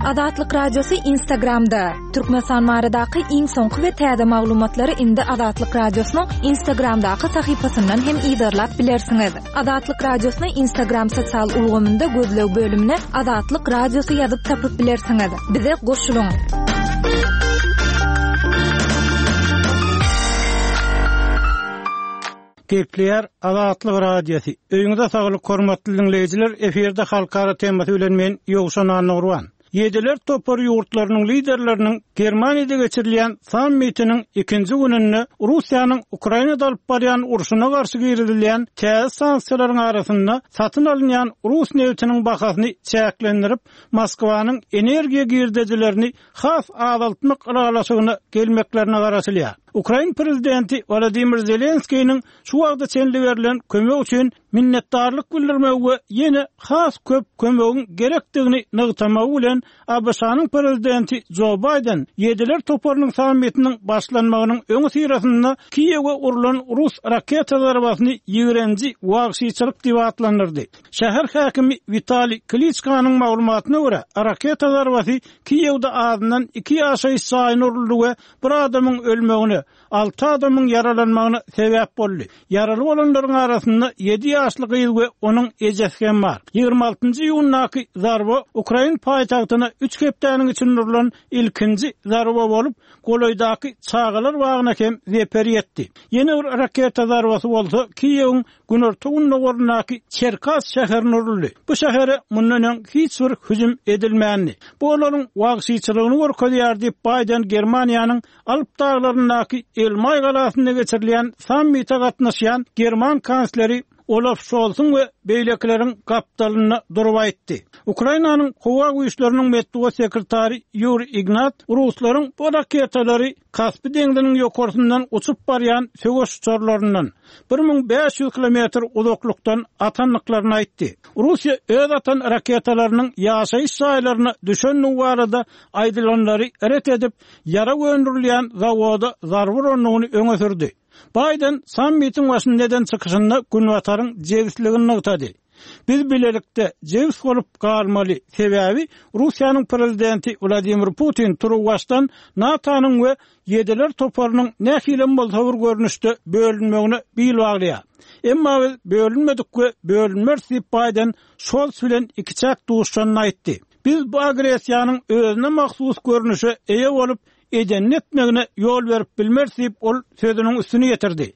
Azatlyk Radiosy Instagramda, Türkmenistan baradaky iň soňky we täze maglumatlary indi Azatlyk Radiosynyň Instagramdaky sahypasyndan hem yzarlap bilersiňiz. Azatlyk Radiosyny Instagram sosial ulgamynda gözleg bölümine Azatlyk Radiosy ýazyp tapyp bilersiňiz. Bize goşulyň! Gepleýär Azatlyk Radiosy. Öýüňize saglyk hormatly diňleýjiler, efirde halkara temasy bilen men Ýowşan Annagurban. Ýediler topary ýurtlarynyň liderleriniň Germaniýada geçirilýän sammitiniň ikinji gününde Russiýanyň Ukrainada alyp barýan urşuna garşy girizilýän täze sanksiýalaryň arasynda satyn alynýan rus nebitiniň bahasyny çäklendirip, Moskwanyň energiýa girdejilerini has azaltmak ylalaşygyna gelmeklerine garaşylýar. Ukrain prezidenti Wolodymyr Zelenskiniň şu wagta çenli berlen kömek üçin minnetdarlyk bildirmegi we ýene has köp kömegiň gerekdigini nygtamagy bilen ABŞ-nyň prezidenti Jo Baýden Ýediler toparynyň sammitiniň başlanmagynyň öňüsyrasynda Kiýewe urlan rus raketa zarbasyny ýigrenji wagşyçylyk diýip atlandyrdy. Şäher häkimi Witaliý Kliçkanyň maglumatyna görä, raketa zarbasy Kiýewde azyndan iki ýaşaýyş jaýyna uruldy we bir adamyň ölmegine, alty adamyň ýaralanmagyna sebäp boldy. Ýaraly bolanlaryň arasynda ýedi ýaşly gyz we onuň ejesi hem bar. Ýigrimi altynjy iýundaky zarba ukrain paýtagtyna üç hepdäniň içinde urlan ilkinji zarba bolup, golaýdaky çagalar bagyna hem zeper ýetdi. Ýene bir raketa zarbasy bolsa Kiýewiň günorta-gündogaryndaky Çerkas şäherine uruldy. Bu şähere mundan öň hiç bir hüjüm edilmändi. Bu olaryň wagşyçylygyny görkezýär diýip, Baýden Germaniýanyň Alp daglaryndaky Elmaý galasynda geçirilýän sammite gatnaşýan german kansleri Olaf Şolsuň we beýlekileriň gapdalynda durup aýtdy. Ukrainanyň howa güýçleriniň metbugat sekretary Ýuriý Ignat ruslaryň bu raketalary Kaspi deňziniň ýokarsyndan uçup barýan söweş uçarlaryndan, 1500 kilometr uzaklykdan atandyklaryny aýtdy. Russiýa öz atan raketalarynyň ýaşaýyş jaýlaryna düşendigi barada aýdylanlary ret edip, ýarag öndürilýän zawoda zarba urandygyny öňe sürdi. Baýden sammitiň başynda eden çykyşynda Günbataryň jebisligini nygtady. Biz bilelikde jebis bolup galmaly, sebäbi Russiýanyň prezidenti Wladimir Putin turuwbaşdan NATO-nyň we Ýediler toparynyň nähilem bolsa bir görnüşde bölünmegine bil baglaýar. Emma biz bölünmedik we bölünmeris diýip Baýden Şolz bilen ikiçäk duşuşanda aýtdy. Biz bu agressiýanyň özüne mahsus görnüşe eýe bolup, edenini etmegine ýol berip bilmeris diýip, ol sözüniň üstüni ýetirdi.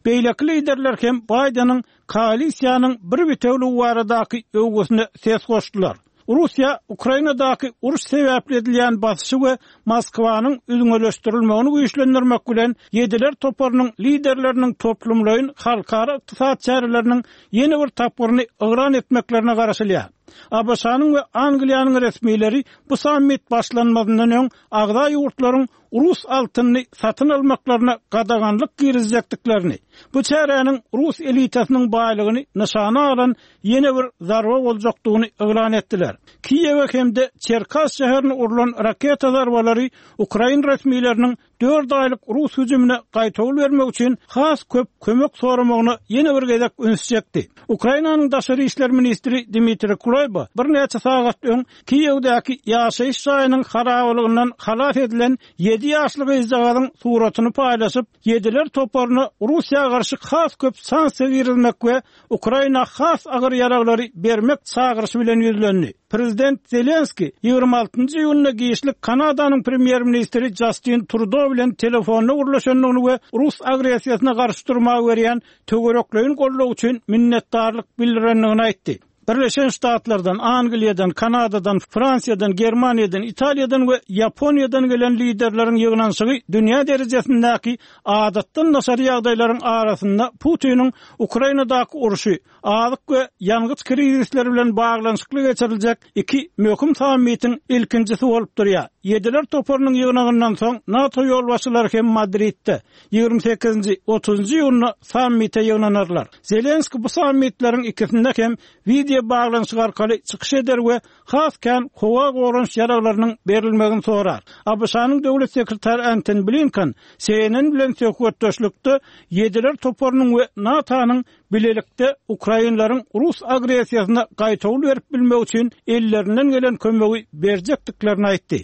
Beýleki liderler hem Baýdeniň koalisiýanyň bir bitewiligi baradaky öwgüsine ses goşdular. Russiýa Ukrainadaky uruş sebäpli edilýän basyşy we Moskwanyň üzňeleşdirilmegini güýçlendirmek bilen Ýediler toparynyň liderleriniň toplumlaýyn halkara ykdysady çäreleriniň ýene bir tapgyryny yglan etmeklerine garaşylýar. ABŞ-nyň we Angliýanyň resmileri bu sammit başlanmazyndan öň agza ýurtlaryň rus altynyny satyn almaklaryna gadaganlyk girizjekdiklerini, bu çäräniň rus elitasynyň baýlygyny nyşana alan ýene bir zarba boljakdygyny yglan etdiler. Kiýewe hem-de Çerkas şäherine urlan raketa zarbalary ukrain resmileriniň dört aýlyk rus hüjümine gaýtawul bermek üçin has köp kömek soramagyna ýene bir gezek üns çekdi. Ukrainanyň daşary işler ministri Dmitriý Kuleba birnäçe sagat öň Kiýewdäki ýaşaýyş jaýynyň harabalygyndan halas edilen ýedi ýaşly gyzjagazyň suratyny paýlaşyp, Ýediler toparyna Russiýa garşy has köp sanksiýa girizmek we Ukraina has agyr ýaraglary bermek çagyryşy bilen ýüzlendi. Prezident Zelenskiý ýigrimi altynjy iýunda giçlik Kanadanyň premýer-ministri Jastin Trudo bilen telefonda gürleşendigini we rus agressiýasyna garşy durmaga berýän töwerekleýin goldaw üçin minnetdarlyk bildirendigini aýtdy. Birleşen Ştatlardan, Angliýadan, Kanadadan, Fransiýadan, Germaniýadan, Italiýadan we Ýaponiýadan gelen liderleriň ýygnanyşygy dünýä derejesindäki adatdan daşary ýagdaýlaryň arasynda Putiniň Ukrainadaky urşy, azyk we ýangyç krizisleri bilen baglanyşykly geçiriljek iki möhüm sammitiň ilkinjisi bolup durýar. Ýediler toparynyň ýygnagyndan soň NATO ýolbaşçylary hem Madridde, ýigrimi sekizinji, otuzynjy iýunda sammite ýygnanarlar. Zelenskiý bu sammitleriň ikisinde hem wideo baglanyşyk arkaly çykyş eder we has kän howa goranyş ýaraglarynyň berilmegini sorar. ABŞ-nyň döwlet sekretary Antony Blinken CNN bilen söhbetdeşlikde Ýediler toparynyň we NATO-nyň. bilelikde ukrainleriň rus agressiýasyna gaýtawul berip bilmegi üçin ellerinden gelen kömegi berjekdiklerini aýtdy.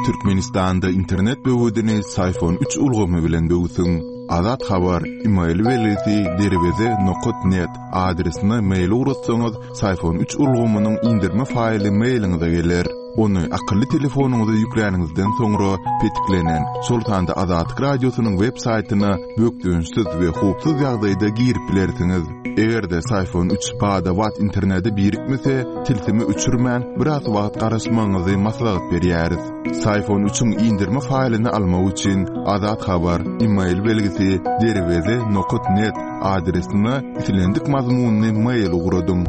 Türkmenistanda internet böwedini Syfon üç ulgamy bilen böwsüň. Azat Habar, email belgisi derweze nokat net adresine mail ugratsaňyz, Syfon üç ulgamynyň indirme faýly mailiňize geler. Ony akylly telefonyňyza ýükläniňizden soňra petiklenen, şol sanda Azatlyk Radiosynyň web saýtyna bökdençsiz we howpsuz ýagdaýda girip bilersiňiz. Eger-de Syfon üç bada-bat internete birikmese, tilsimi öçürmän, biraz wagt garaşmagyňyzy maslahat berýäris. Syfon üçiň indirme faýlyny almak üçin Azat Habar, email belgisi derweze nokat net adresine islendik mazmunly mail ugradyň.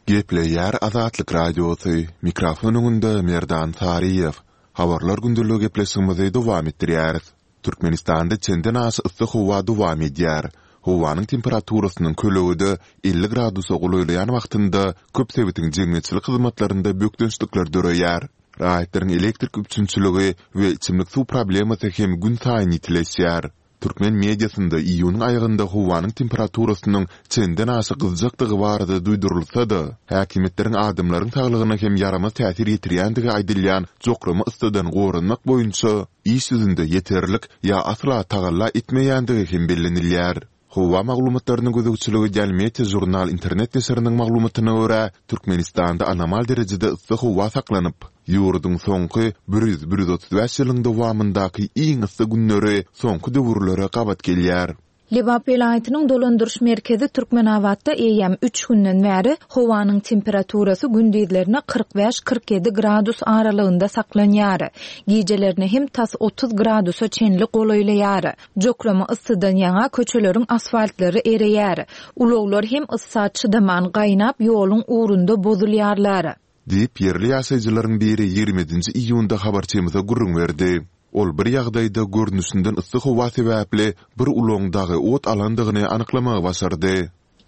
Gepleýär Azatlyk Radiosy, mikrofon öňünde Merdan Saryýew. Habarlar gündeligi gepleşigimizi dowam etdirýäris. Türkmenistanda çenden aşa yssy howa dowam edýär. Howanyň temperaturasynyň kölegede 50 gradusa golaýlaýan wagtynda köp sebitiň jemgyýetçilik hyzmatlarynda bökdençlikler döreýär. Raýatlaryň elektrik üpjünçiligi we içimlik suw problemasy hem günsaýyn ýitileşýär. Türkmen mediasynda iýunyň aýagynda howanyň temperaturasynyň çenden aşa gyzjakdygy barada duýdurylsa-da, häkimiýetleriň adamlaryň saglygyna hem ýaramaz täsir ýetirýändigi aýdylýan jokrama yssydan goranmak boýunça iş ýüzünde ýeterlik ýa asla tagalla etmeýändigi hem bellenilýär. Howa maglumatlaryna gözegçilik edýän Meteožurnal internet neşiriniň maglumatyna görä, Türkmenistanda anomal derejede yssy howa saklanyp, ýurduň soňky bir ýüz-bir ýüz 35 ýylyň dowamyndaky iň yssy günleri soňky döwürlere gabat gelýär. Lebap welaýatynyň dolandyryş merkezi Türkmenabatda eýýäm üç günden bäri howanyň temperaturasy gündizlerine 45-47 gradus aralygynda saklanýar. Gijelerine hem tas 30 gradusa çenli golaýlaýar. Jokrama yssydan ýaňa köçeleriň asfaltlary ereýär. Ulaglar hem yssa çydaman gaýnap ýoluň ugrunda bozulýarlar. Diýip, ýerli ýaşaýjylaryň biri ýigrimi ýedinji iýunda habarçymyza gürrüň berdi. Ol bir ýagdaýda görnüşinden yssy howa sebäpli bir ulagyň dagy ot alandygyny anyklamagy başardy.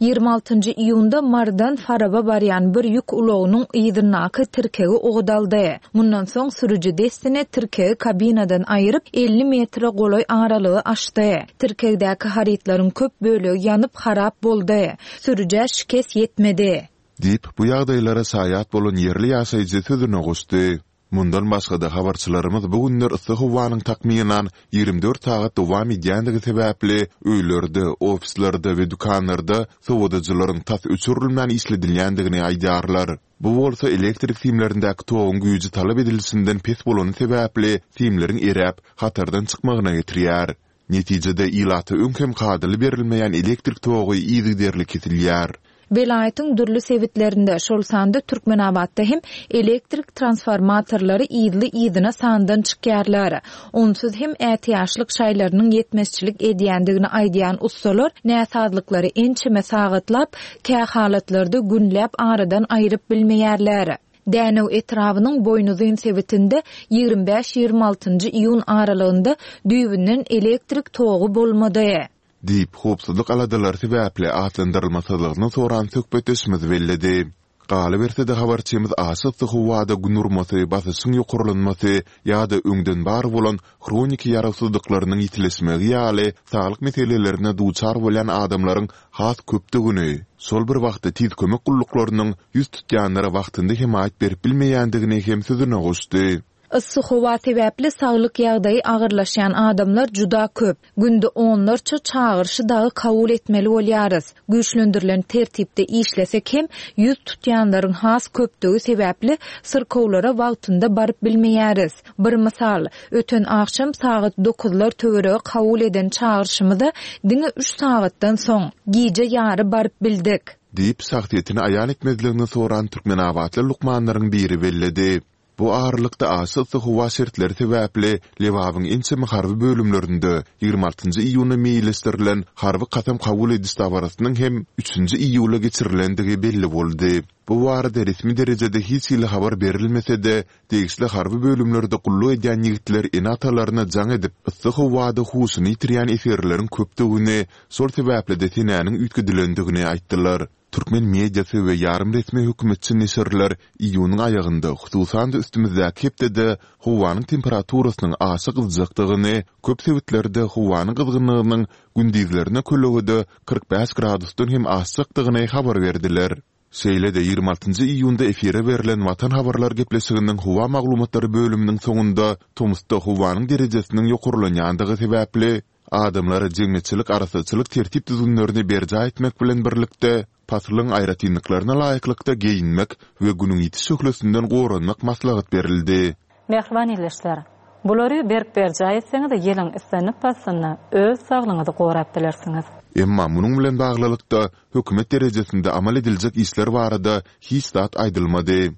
Ýigrimi altynjy iýunda Marydan Faraba barýan bir ýük ulagynyň yzyndaky tirkegi ot aldy. Mundan soň sürüji dessine tirkegi kabinadan aýyryp, 50 metre golaý aralygy aşdy. Tirkegdäki harytlaryň köp bölegi ýanyp harap boldy. Sürüjä şikes ýetmedi. Diýip, bu ýagdaýlara şaýat bolan ýerli ýaşaýjy sözüne goşdy. Mundan başga-da, habarçylarymyz bu günler yssy howanyň takmynan 24 sagat dowam edýändigi sebäpli, öýlerde, ofislerde we dükanlarda sowadyjylaryň tas öçürilmän işledilýändigini aýdýarlar. Bu bolsa elektrik simlerindäki toguň güýji talap edilişinden pes bolany sebäpli simleriň eräp, hatardan çykmagyna getirýär. Netijede, ilata öň hem kadaly berilmeýän elektrik togy yzygiderli kesilýär. Welaýatyň dürli sebitlerinde, şol sanda Türkmenabatda hem elektrik transformatorlary yzly-yzyna sandan çykýarlar. Onsuz hem ätiýaçlyk şaýlarynyň ýetmezçilik edýändigini aýdýan ussalar näsazlyklary ençeme sagatlap, kähalatlarda günläp aradan aýryp bilmeýärler. Dänew etrabynyň Boýnuzyn sebitinde 25-26 altynjy iýun aralygynda düýbünden elektrik togy bolmady. Diýip, howpsuzlyk aladalary sebäpli atlandyrylmasyzlygyny soran söhbetdeşimiz belledi. Galyberse-de, habarçymyz aşa yssy howada gün urmasy, basyşyň ýokarlanmasy ýa-da öňden bar bolan hroniki ýarawsyzlyklarynyň ýitileşmegi ýaly saglyk meselelerine duçar bolýan adamlaryň has köpdügini, şol bir wagtda tiz kömek gulluklarynyň ýüz tutýanlara wagtynda hemaýat berip bilmeýändigini hem sözüne goşdy. Yssy howa sebäpli saglyk ýagdaýy agyrlaşýan adamlar juda köp. Günde onlarça çagyryşy dagy kabul etmeli bolýarys. Güýçlendirilen tertipde işlesek hem, ýüz tutýanlaryň has köpdügi sebäpli syrkawlara wagtynda baryp bilmeýäris. Bir mysal, öten agşam sagat dokuzlar töweregi kabul eden çagyryşymyza diňe üç sagatdan soň, gije ýary baryp bildik. Diýip, şahsyýetini aýan etmezligini soran türkmenabatly lukmanlaryň biri belledi. Bu aralykda, aşa yssy howa şertleri sebäpli Lebabyň ençeme harby bölümlerinde ýigrimi altynjy iýuna meýilleşdirilen harby kasam kabul ediş dabarasynyň hem üçünji iýula geçirilendigi belli boldy. Bu barada resmi derejede hiç hili habar berilmese-de, degişli harby bölümlerde gulluk edýän ýigitler ene-atalaryna jaň edip, yssy howada huşuny ýitirýän esgerleriň köpdügini, şol sebäpli-de senäniň üýtgedilendigini aýtdylar. Türkmen mediasy we ýarym resmi hökümetçi neşirler iýunyň aýagynda, hususan-da üstümizdäki hepdede howanyň temperaturasynyň aşa gyzjakdygyny, köp sebitlerde howanyň gyzgynlygynyň gündizlerine kölegede 45 gradusdan hem aşjakdygyny habar berdiler. Şeýle-de ýigrimi altynjy iýunda efire berlen Watan habarlar gepleşiginiň howa maglumatlary bölüminiň soňunda tomusda howanyň derejesiniň ýokarlanýandygy sebäpli, adamlara jemgyýetçilik arassaçylyk tertip-düzgünlerini berjaý etmek bilen birlikde, paslyň aýratynlyklaryna laýyklykda geýinmek we günüň ýiti şöhlesinden goranmak maslahat berildi. Mähriban ildeşler! Bulary berk berjaý etseňiz, ýylyň islendik paslynda öz saglygyňyzy gorap bilersiňiz. Emma munuň bilen baglylykda, hökümet derejesinde amal ediljek işler barada hiç zat aýdylmady.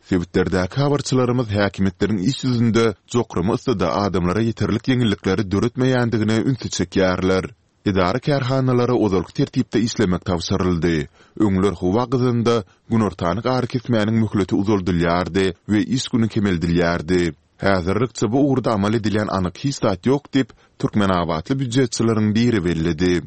Sebitlerdäki habarçylarymyz häkimiýetleriň iş ýüzünde jokrama yssyda adamlara ýeterlik ýeňillikleri döretmeýändigine ünsi çekýärler. Edara-kärhanalara ozalky tertipde işlemek tabşyryldy. Öňler howa gyzanda günortanyk arakesmäniň möhleti uzaldylýardy we iş güni kemeldilýärdi. Häzirlikçe bu ugurda amal edilýän anyk hiç zat ýok diýip, türkmenabatly býujetçileriň biri belledi.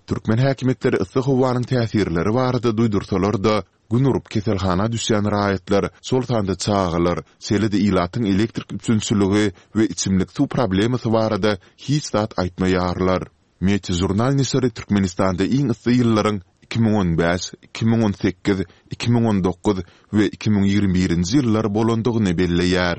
Türkmen häkimiýetleri yssy howanyň täsirleri barada duýdursalar-da, gün urup keselhana düşýän raýatlar, şol sanda çagalar, şeýle-de ilatyň elektrik üpjünçiligi we içimlik suw problemasy barada hiç zat aýtmaýarlar. Meteožurnal neşiri Türkmenistanda iň yssy ýyllaryň 2015, 2018, 2019 we 2021-nji ýyllar bolandygyny belleýär.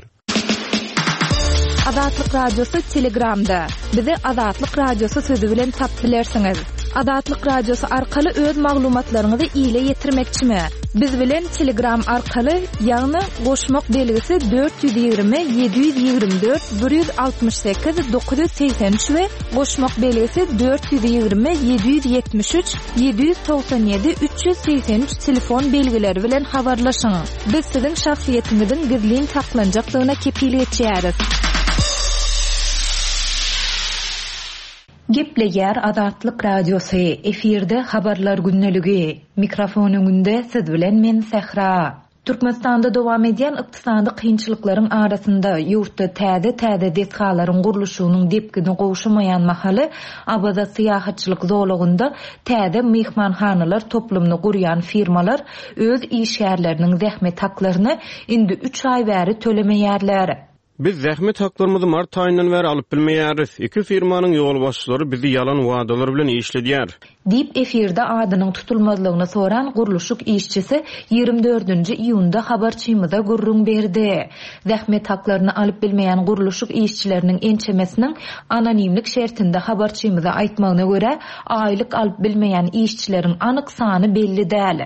Azatlyk Radiosy Telegramda. Bizi Azatlyk Radiosy sözi bilen tapyp bilersiňiz. Azatlyk Radiosy arkaly öz maglumatlaryňyzy ile ýetirmekçimi? Biz bilen Telegram arkaly, ýagny goşmak belgisi 420 724 168 983 we goşmak belgisi 420 773 797 383 telefon belgileri bilen habarlaşyň. Biz siziň şahsyýetiňiziň gizlin saklanjakdygyna kepil geçýäris. Gepleýär Azatlyk Radiosy, efirde Habarlar gündeligi. Mikrofon öňünde siz bilen men Sähra. Türkmenistanda dowam edýän ykdysady kynçylyklaryň arasynda, ýurtda täze-täze desgalaryň gurluşygynyň depgini gowşamaýan mahaly, Awaza syýahatçylyk zolagynda täze myhmanhanalar toplumyny gurýan firmalar öz işgärleriniň zähmet haklaryny indi üç aý bäri tölemeýärler. Biz zähmet haklarymyzy mart aýyndan bäri alyp bilmeýäris. Iki firmanyň ýolbaşçylary bizi ýalan wadalar bilen işledýär. Diýip, efirde adynyň tutulmazlygyny soran gurluşyk işçisi ýigrimi dördünji iýunda habarçymyza gürrüň berdi. Zähmet haklaryny alyp bilmeýän gurluşyk işçileriniň ençemesiniň anonimlik şertinde habarçymyza aýtmagyna görä, aýlyk alyp bilmeýän işçileriň anyk sany belli däl.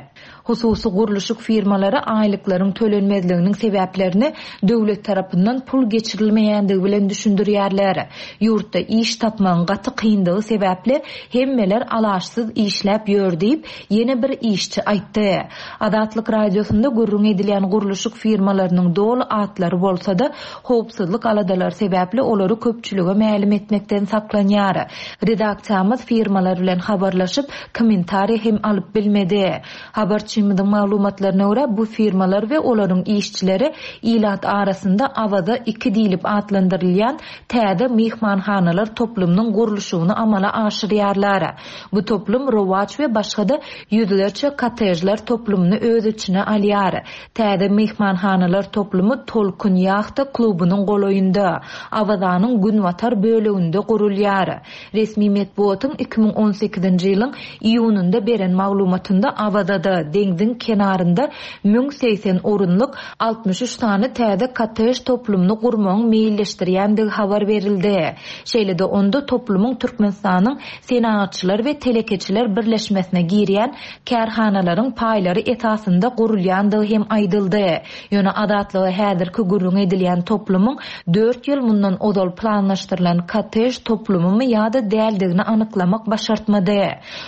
Hususy gurluşyk firmalary aýlyklaryň tölenmezliginiň sebäplerini döwlet tarapyndan pul geçirilmeýändigi bilen düşündirýärler. Ýurtda iş tapmagyň gaty kyndygy sebäpli hemmeler alaçsyz işläp ýör diýip, ýene bir işçi aýtdy. Azatlyk Radiosynda gürrüň edilýän gurluşyk firmalarynyň doly atlary bolsa-da, howpsuzlyk aladalary sebäpli olary köpçülige mälim etmekden saklanýar. Redaksiýamyz firmalar bilen habarlaşyp, kommentariý hem alyp bilmedi. Habarçymyzyň maglumatlaryna görä, bu firmalar we olaryň işçileri ilat arasynda Awaza iki diýlip atlandyrylýan täze myhmanhanalar toplumynyň gurluşygyny amala aşyrýarlar. Bu toplum Rowaç we başga-da ýüzlerçe kottejler toplumyny öz içine alýar. Täze myhmanhanalar toplumy Tolkun ýahta klubunyň golaýynda, Awazanyň günbatar böleginde gurulýar. Resmi metbugatyň 2018-nji ýylyň iýunynda beren maglumatynda Awazada, deňziň kenarynda 1080 orunlyk 63 sany täze kottej toplumyny gurmagyň meýilleşdirýändigi habar berildi. Şeýle-de onda toplumyň Türkmenistanyň Senagatçylar we telekeçiler birleşmesine girýän kärhanalaryň paýlary esasynda gurulýandygy hem aýdyldy. Ýöne Azatlyga häzirki gürrüňi edilýän toplumyň dört ýyl mundan ozal planlaşdyrylan kottej toplumymy ýa-da däldigini anyklamak başartmady.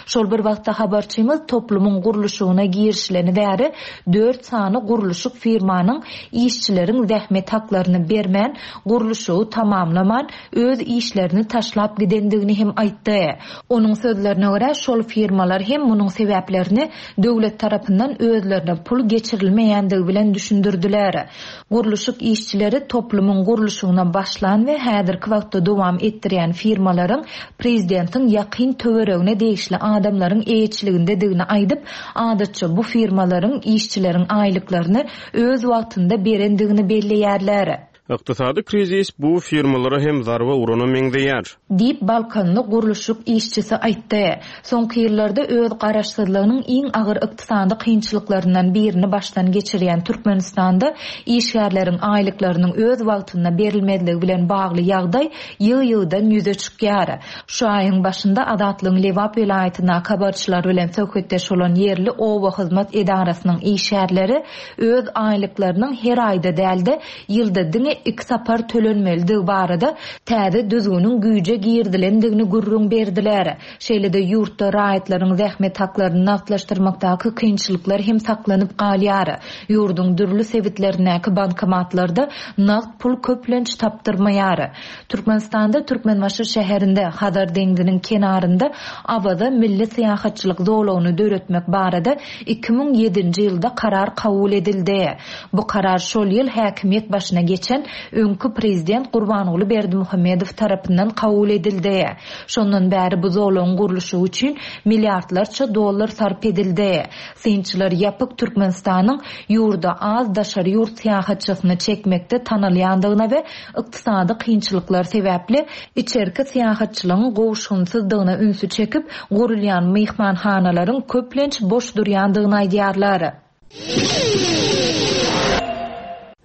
Şol bir wagtda habarçymyz toplumyň gurluşygyna girişileni bäri dört sany gurluşyk firmanyň işçileriň zähmet haklaryny bermän, gurluşygy tamamlaman, öz işlerini taşlap gidendigini hem aýtdy. Onuň sözlerine görä, görä, şol firmalar hem munuň sebäplerini döwlet tarapyndan özlerine pul geçirilmeýändigi bilen düşündirdiler. Gurluşyk işçileri toplumyň gurluşygyna başlan we häzirki wagtda dowam etdirýän firmalaryň prezidentiň ýakyn töweregine degişli adamlaryň eýeçiligindedigini aýdyp, adatça bu firmalaryň işçileriň aýlyklaryny öz wagtynda berendigini belleýärler. Ykdysady krizis bu firmalara hem zarba urana meňzeýär. Diýip, balkanly gurluşyk işçisi aýtdy. Soňky ýyllarda öz garaşsyzlygynyň iň agyr ykdysady kynçylyklaryndan birini başdan geçirýän Türkmenistanda işgärleriň aýlyklarynyň öz wagtynda berilmezligi bilen bagly ýagdaý ýygy-ýygydan ýüze çykýar. Şu aýyň başynda Azatlygyň Lebap welaýatyndaky habarçylary bilen söhbetdeş bolan ýerli oba hyzmat edarasynyň işgärleri öz aýlyklarynyň her aýda däl-de, ýylda diňe iki sapar tölenmelidigi barada täze düzgüniň güýje girizilendigini gürrüň berdiler. Şeýle-de ýurtda raýatlaryň zähmet haklaryny nagtlaşdyrmakdaky kynçylyklar hem saklanyp galýar. Ýurduň dürli sebitlerindäki bankomatlarda nagt pul köplenç tapdyrmaýar. Türkmenistanda Türkmenbaşy şäherinde, Hazar deňziniň kenarynda Awaza milli syýahatçylyk zolagyny döretmek barada 2007-nji ýylda karar kabul edildi. Bu karar şol ýyl häkimiýet başyna geçen öňki prezident Gurbanguly Berdimuhamedow tarapyndan kabul edildi. Şondan bäri bu zolagyň gurluşygy üçin milliardlarça dollar sarp edildi. Synçylar ýapyk Türkmenistanyň ýurda az daşary ýurt syýahatçysyny çekmekde tanalýandygyna we ykdysady kynçylyklar sebäpli içerki syýahatçylygyň gowuşgynsyzdygyna ünsi çekip, gurulýan myhmanhanalaryň köplenç boş durýandygyny aýdýarlar.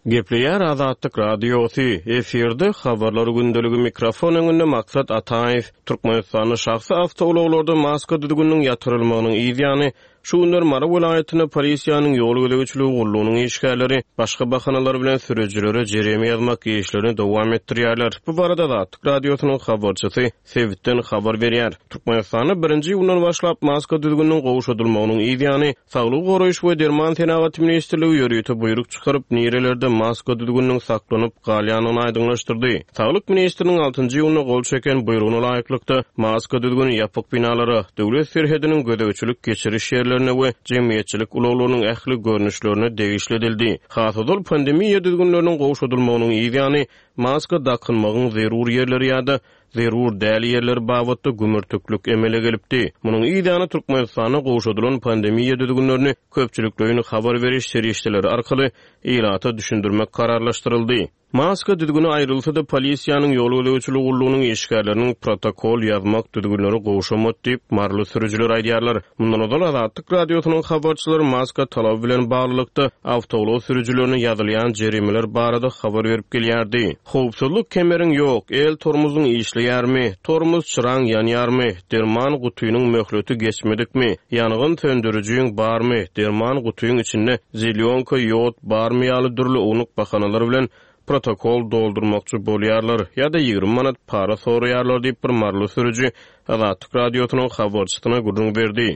Gepleýär Azatlyk Radiosy, efirde Habarlar gündeligi mikrofon öňünde Maksat Ataýew. Türkmenistanda şahsy awtoulaglarda maska düzgüniniň ýatyrylmagynyň yz ýany, Şu günler Mary welaýatynda polisiýanyň ýol gözegçiligi gullugynyň işgärleri başga bahanalar bilen sürüjilere jerime ýazmak işlerini dowam etdirýärler. Bu barada Azatlyk Radiosynyň habarçysy sebitden habar berýär. Türkmenistanda birinji iýundan başlap maska düzgüniniň gowşadylmagynyň yz ýany, Saglygy goraýyş we derman senagaty ministrligi ýörite buýruk çykaryp, nirelerde maska düzgüniniň saklanyp galýandygyny aýdyňlaşdyrdy. Saglyk ministriniň altynjy iýunda gol çeken buýrugyna laýyklykda, maska düzgüni ýapyk binalara, döwlet serhediniň gözegçilik-geçiriş ýerlerine we jemgyýetçilik ulaglarynyň ähli görnüşlerine degişli edildi. Has ozal pandemiýa düzgünleriniň gowşadylmagynyň yz ýany, maska dakynmagyň zerur ýerleri ýa-da zerur däl ýerleri babatda gümürtiklik emele gelipdi. Munuň yz ýany Türkmenistanda gowşadylan pandemiýa düzgünlerini köpçülikleýin habar beriş serişdeleri arkaly ilata düşündirmek kararlaşdyryldy. Maska düzgüni aýrylsa-da, polisiýanyň ýol gözegçiligi gullugynyň işgärleriniň protokol ýazmak düzgünleri gowşamady diýip, maryly sürüjiler aýdýarlar. Mundan ozal Azatlyk Radiosynyň habarçylary maska talaby bilen baglylykda, awtoulag sürüjilerine ýazylýan jerimeler barada habar berip gelýärdi. Howpsuzlyk kemeriň ýok, el tormozyň işleýärmi, tormoz çyraň ýanýarmy, derman gutynyň möhleti geçmedikmi, ýangyn söndürijiň barmy, derman gutyň içinde zelýonka, ýod barmy ýaly dürli ownuk bahanalar bilen protokol doldurmakçy bolýarlar ýa-da 20 manat para soraýarlar diýip bir maryly sürüji Azatlyk Radiosynyň habarçysyna gürrüň berdi.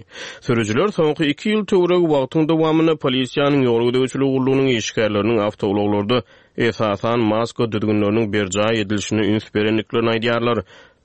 Sürüjiler soňky iki ýyl töweregi wagtyň dowamynda polisiýanyň ýol gözegçiligi gullugynyň işgärleriniň awtoulaglarda esasan maska düzgünleriniň berjaý edilişine üns berendiklerini aýdýarlar.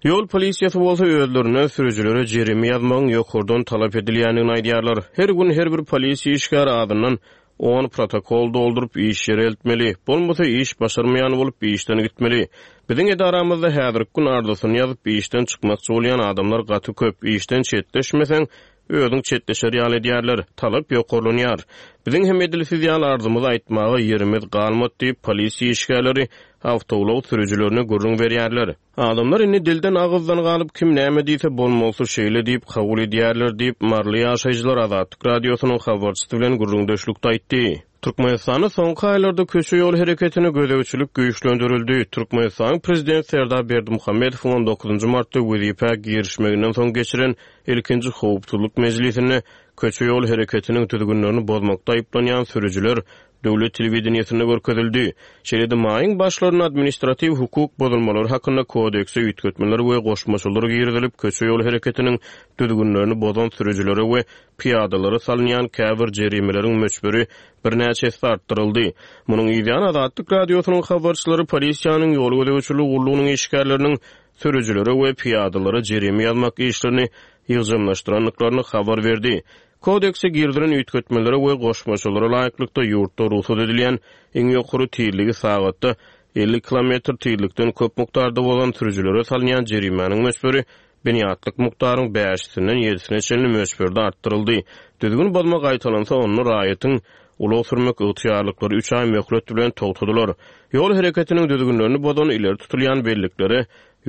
Ýol polisiýasy bolsa özlerinden sürüjilere jerime ýazmagyň ýokardan talap edilýändigini aýdýarlar. Her gün her bir polisiýa işgäri azyndan on protokol dolduryp iş ýere eltmeli. Bolmasa iş başarmaýan bolup işden gitmeli. Biziň edaramyzda häzirki gün arzasyny ýazyp işden çykmakçy bolýan adamlar gaty köp. Işden çetleşmeseň, Özüň çetleşer ýaly edýärler. Talap ýokarlanýar. Biziň hem edil siz ýaly arzymyzy aýtmaga ýerimiz galmady diýip, polisiýa işgärleri awtoulag sürüjilerine gürrüň berýärler. Adamlar indi dilden-agyzdan galyp, kim näme diýse, bolmalysy şeýle diýip kabul edýärler diýip, maryly ýaşaýjylar Azatlyk Radiosynyň habarçysy bilen gürrüňdeşlikde aýtdy. Türkmenistanda soňky aýlarda köçe-ýol hereketine gözegçilik güýçlendirildi. Türkmenistanyň Prezidenti Serdar Berdimuhamedowyň on dokuzynjy martda wezipä girişmeginden soň geçiren ilkinji howpsuzlyk mejlisinde köçe-ýol hereketiniň düzgünlerini bozmakda aýyplanýan sürüjiler döwlet telewideniýesinde görkezildi. Şeýle-de maýyň başlarynda Administratiw hukuk bozulmalary hakynda kodekse üýtgetmeler we goşmaçalar girizilip, köçe-ýol hereketiniň düzgünlerini bozan sürüjilere we pyýadalara salynýan käbir jerimeleriň möçberi birnäçe esse artdyryldy. Munuň yzýany Azatlyk Radiosynyň habarçylary polisiýanyň ýol gözegçiligi gullugynyň işgärleriniň sürüjilere we pyýadalara jerime ýazmak işlerini ýygjamlaşdyrandyklaryny habar berdi. Kodekse girizilen üýtgetmelere we goşmaçalara laýyklykda, ýurtda rugsat edilýän iň ýokary tizligi sagatda 50 kilometr tizlikden köp mukdarda bozan sürüjilere salynýan jerimäniň möçberi binýatlyk mukdaryň bäşisinden ýedisine çenli möçberde artdyryldy. Düzgün bozma gaýtalansa, onda raýatyň ulag sürmek ygtyýarlyklary üç aý möhlet bilen togtadylar. Ýol hereketiniň düzgünlerini bozan ileri tutulýan belliklere,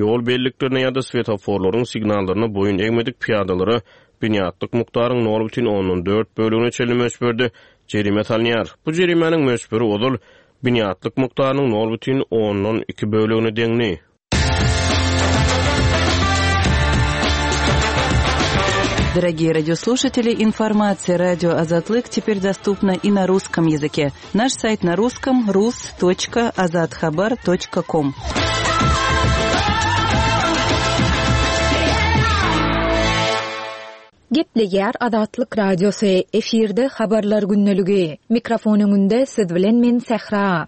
ýol belliklerine ýa-da swetoforlaryň signallaryna boýun egmedik pyýadalara binýatlyk mukdaryň nol bütin ondan dört bölegine çenli möçberde jerime salynýar. Bu jerimäniň möçberi ozal binýatlyk mukdarynyň nol bütin ondan iki bölegine deňdi. Дорогие радиослушатели, информация радио Азатлык теперь доступна и на русском языке. Наш сайт на русском rus.azathabar.com. Gepleýär Azatlyk Radiosy, efirde Habarlar gündeligi. Mikrofon öňünde siz bilen men Sähra.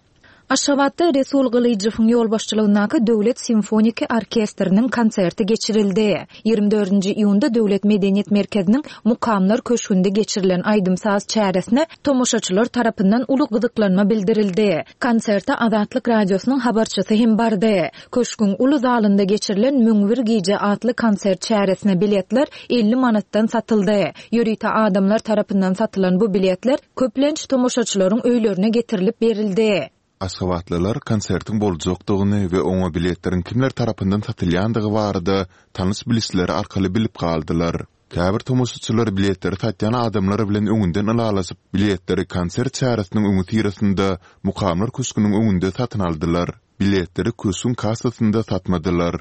Aşgabatda Resul Gylyjowyň ýolbaşçylygyndaky Döwlet simfoniki orkestriniň konserti geçirildi. Ýigrimi dördünji iýunda Döwlet medeniýet merkeziniň Mukamlar köşgünde geçirilen aýdym-saz çäresine tomaşaçylar tarapyndan uly gyzyklanma bildirildi. Konserte Azatlyk Radiosynyň habarçysy hem bardy. Köşgüň uly zalynda geçirilen 1001 gije atly konsert çäresine biletler 50 manatdan satyldy. Ýörite adamlar tarapyndan satylan bu biletler köplenç tomaşaçylaryň öýlerine getirilip berildi. Aşgabatlylar konsertiň boljakdygyny we oňa biletleriň kimler tarapyndan satylýandygy barada tanyş-bilişleri arkaly bilip galdylar. Käbir tomaşaçylar biletleri satýan adamlar bilen öňünden ylalaşyp, biletleri konsert çäresiniň öňüsyrasynda Mukamlar köşgüniň öňünde satyn aldylar. Biletleri köşgüň kassasynda satmadylar.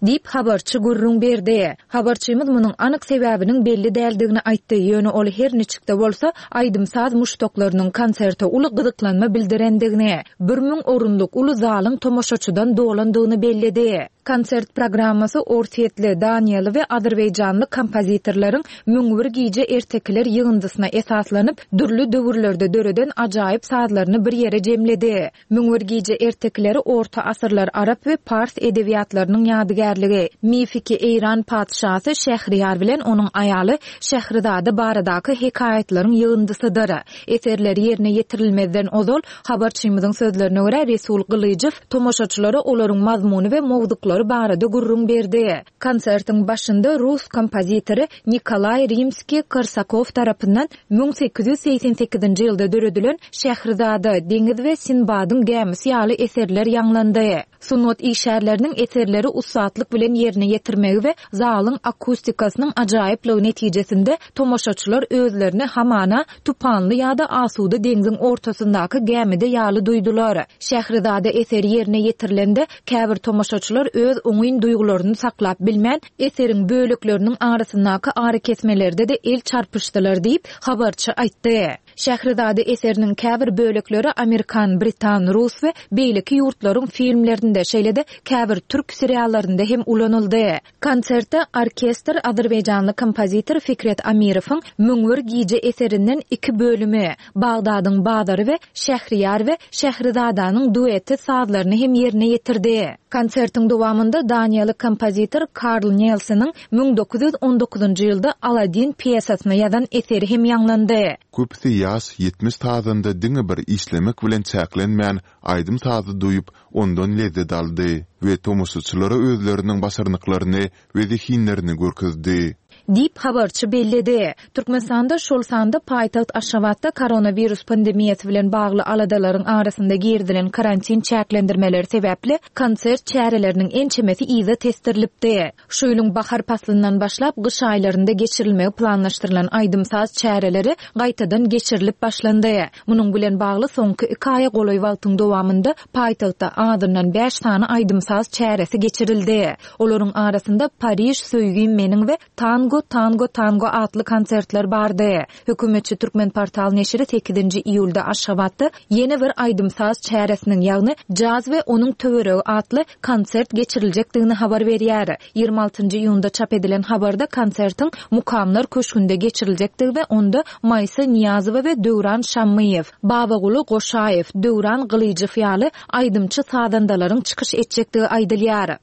Diýip, habarçy gürrüň berdi. Habarçymyz munuň anyk sebäbiniň belli däldigini aýtdy, ýöne ol her niçik-de bolsa, aýdym-saz muşdaklarynyň konserte uly gyzyklanma bildirendigini, 1000 orunlyk uly zalyň tomaşaçydan dolandygyny belledi. Konsert programmasy orsýetli, daniýaly we azerbaýjanly kompozitorlaryň 1001 gije ertekiler ýygyndysyna esaslanyp, dürli döwürlerde döreden ajaýyp sazlaryny bir ýere jemledi. 1001 gije ertekileri orta asyrlar arap we pars edebiýatlarynyň ýadygärligi, mifiki eýran patyşasy Şähriýar bilen onuň aýaly Şährizada baradaky hekaýatlaryň ýygyndysydyr. Eserler ýerine ýetirilmezden ozal, habarçymyzyň sözlerine görä, Resul Gylyjow tomaşaçylara olaryň mazmuny we mowzuklary barada gürrüň berdi. Konsertiň başynda rus kompozitory Nikolaý Rimskiý-Korsakow tarapyndan 1888-nji ýylda döredilen Şährizada, Deňiz we Sinbadyň gämisi ýaly eserler ýaňlandy. Sungat işgärleriniň eserleri ussatlyk bilen ýerine ýetirmegi we zalyň akustikasynyň ajaýyplygy netijesinde tomaşaçylar özlerini hamana tupanly ýa-da asuda deňziň ortasyndaky gämide ýaly duýdular. Şährizada eseri ýerine ýetirilende, käbir tomaşaçylar öz oňyn duýgularyny saklap bilmän, eseriň bölekleriniň arasyndaky arakesmelerde-de el çarpyşdylar diýip, habarçy aýtdy. Şährizada eseriniň käbir bölekleri amerikan, britan, rus we beýleki ýurtlaryň filmlerinde, şeýle-de käbir türk seriallarynda hem ulanyldy. Konsertde orkestr azerbaýjanly kompozitor Fikret Amirowyň 1001 gije eserinden iki bölümi, Bagdadyň bazary we Şähriýar we Şährizadanyň dueti sazlaryny hem ýerine ýetirdi. Konsertiň dowamynda daniýaly kompozitor Karl Nelsonyň 1919-njy ýylda Aladin pýesasyna ýazan eseri hem ýaňlandy. Köpüsi ýaş 70 sazanda diňe bir işlemek bilen çäklenmän, aýdym-sazy duýup, ondan lezzet aldy we tomaşaçylara özleriniň başarnyklaryny we zehinlerini görkezdi. Diýip, habarçy belledi. Türkmenistanda, şol sanda paýtagt Aşgabatda koronawirus pandemiýasy bilen bagly aladalaryň arasynda girizilen karantin çäklendirmeleri sebäpli konsert çäreleriniň ençemesi yza tesdirilipdi. Şu ýylyň bahar paslyndan başlap gyş aýlarynda geçirilmegi planlaşdyrylan aýdym-saz çäreleri gaýtadan geçirilip başlandy. Munuň bilen bagly soňky iki aýa golaý wagtyň dowamynda paýtagtda azyndan bäş sany aýdym-saz çäresi geçirildi. Olaryň arasynda Pariž söýgim meniň we Tango, tango, tango atly konsertler bardy. Hökümetçi Türkmenportal neşiri sekizinji iýulda Aşgabatda ýene bir aýdym-saz çäresiniň, ýagny Jaz we onuň töweregi atly konsert geçiriljekdigini habar berýär. 26-njy iýunda çap edilen habarda konsertiň Mukamlar köşgünde geçiriljekdigi we onda Maýsa Nyýazowa we Döwran Şammyýew, Babaguly Goşaýew, Döwran Gylyjow ýaly aýdymçy-sazandalaryň çykyş etjekdigi aýdylýar.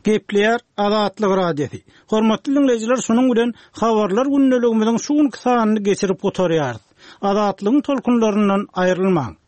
Gepleýär Azatlyk Radiosy. Hormatly diňleýjiler, şunuň bilen Habarlar gündeligimiziň şu günki sanyny geçirip gutarýarys. Azatlygyň tolkunlaryndan aýrylmaň!